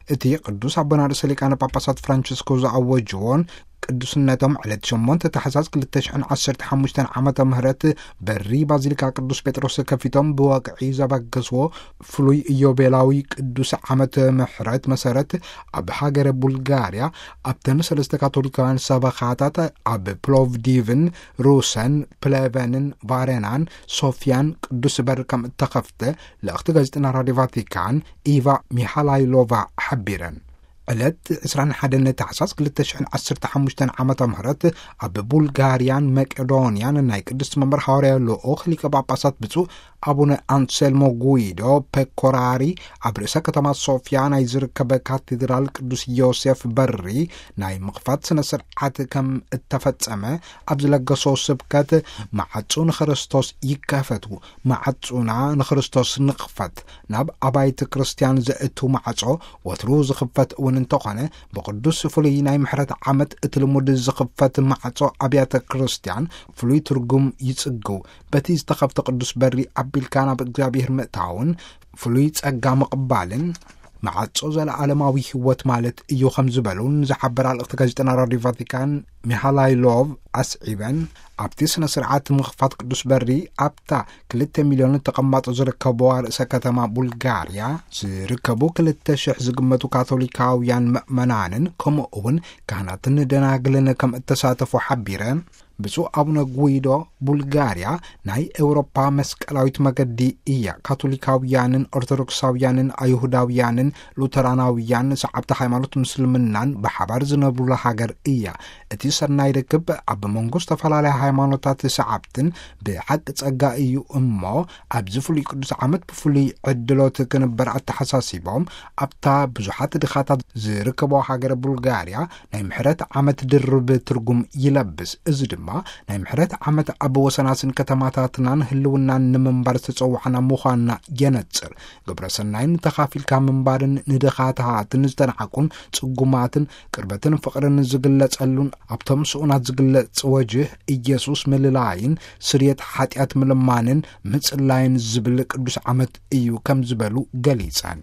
እቲ ቅዱስ ኣቦና ርእሰ ሊቃነ ጳጳሳት ፍራንቸስኮ ዝኣወጅዎን ቅዱስነቶም ዕለት ሸሞንተ ታሕሳስ ክልተ ሽሕን ዓሰርተ ሓሙሽተን ዓመተ ምህረት በሪ ባዚሊካ ቅዱስ ጴጥሮስ ከፊቶም ብወግዒ ዘበገስዎ ፍሉይ ኢዮቤላዊ ቅዱስ ዓመተ ምሕረት መሰረት፣ ኣብ ሃገረ ቡልጋርያ ኣብተን ሰለስተ ካቶሊካውያን ሰበኻታት ኣብ ፕሎቭዲቭን ሩሰን ፕሌቨንን ቫሬናን ሶፊያን ቅዱስ በር ከም እተኸፍተ ልእኽቲ ጋዜጠና ራዲዮ ቫቲካን ኢቫ ሚሃላይሎቫ ሓቢረን። ዕለት ዕስራን ሓደን ታሕሳስ ክልተ ሽሕን ዓሰርተ ሓሙሽተን ዓመተ ምህረት ኣብ ቡልጋርያን መቄዶንያን ናይ ቅድስቲ መንበር ሃዋርያ ልኡኽ ሊቀ ጳጳሳት ብፁዕ ኣቡነ ኣንሴልሞ ጉይዶ ፔኮራሪ ኣብ ርእሰ ከተማ ሶፊያ ናይ ዝርከብ ካቴድራል ቅዱስ ዮሴፍ በሪ ናይ ምኽፋት ስነ ስርዓት ከም እተፈጸመ ኣብ ዝለገሶ ስብከት፣ ማዕጹ ንክርስቶስ ይከፈቱ፣ ማዕጹና ንክርስቶስ ንኽፈት፣ ናብ ኣባይቲ ክርስትያን ዘእቱ ማዕጾ ወትሩ ዝኽፈት እውን እንተኾነ፣ ብቅዱስ ፍሉይ ናይ ምሕረት ዓመት እቲ ልሙድ ዝኽፈት ማዕጾ ኣብያተ ክርስትያን ፍሉይ ትርጉም ይጽግው። በቲ ዝተኸፍተ ቅዱስ በሪ ኣቢልካ ናብ እግዚኣብሔር ምእታውን ፍሉይ ጸጋ ምቕባልን ማዕጾ ዘለዓለማዊ ህይወት ማለት እዩ ከም ዝበሉን ዝሓበራ ልእኽቲ ጋዜጠና ራዲዮ ቫቲካን ሚሃላይሎቭ ኣስዒበን፣ ኣብቲ ስነ ስርዓት ምኽፋት ቅዱስ በሪ ኣብታ ክልተ ሚልዮን ተቐማጦ ዝርከብዋ ርእሰ ከተማ ቡልጋርያ ዝርከቡ ክልተ ሽሕ ዝግመቱ ካቶሊካውያን ምእመናንን ከምኡ እውን ካህናትን ደናግልን ከም እተሳተፉ ሓቢረ። ብፁዕ ኣቡነ ጉይዶ፣ ቡልጋርያ ናይ ኤውሮፓ መስቀላዊት መገዲ እያ። ካቶሊካውያንን ኦርቶዶክሳውያንን ኣይሁዳውያንን ሉተራናውያን ሰዓብቲ ሃይማኖት ምስልምናን ብሓባር ዝነብሩላ ሃገር እያ። እቲ ሰናይ ርክብ ኣብ መንጎ ዝተፈላለያ ሃይማኖታት ሰዓብትን ብሓቂ ጸጋ እዩ እሞ፣ ኣብዚ ፍሉይ ቅዱስ ዓመት ብፍሉይ ዕድሎት ክንበር ኣተሓሳሲቦም፣ ኣብታ ብዙሓት ድኻታት ዝርከቦ ሃገረ ቡልጋርያ ናይ ምሕረት ዓመት ድርብ ትርጉም ይለብስ። እዚ ድማ ናይ ምሕረት ዓመት ኣብ ወሰናስን ከተማታትናን ህልውናን ንምንባር ዝተጸዋዕና ምዃንና የነጽር። ግብረ ሰናይን ተኻፊልካ ምንባርን ንድኻታትን ዝተናዕቁን ጽጉማትን ቅርበትን ፍቕርን ዝግለጸሉን ኣብቶም ስኡናት ዝግለጽ ወጅህ ኢየሱስ ምልላይን ስርየት ሓጢኣት ምልማንን ምጽላይን ዝብል ቅዱስ ዓመት እዩ ከም ዝበሉ ገሊጸን።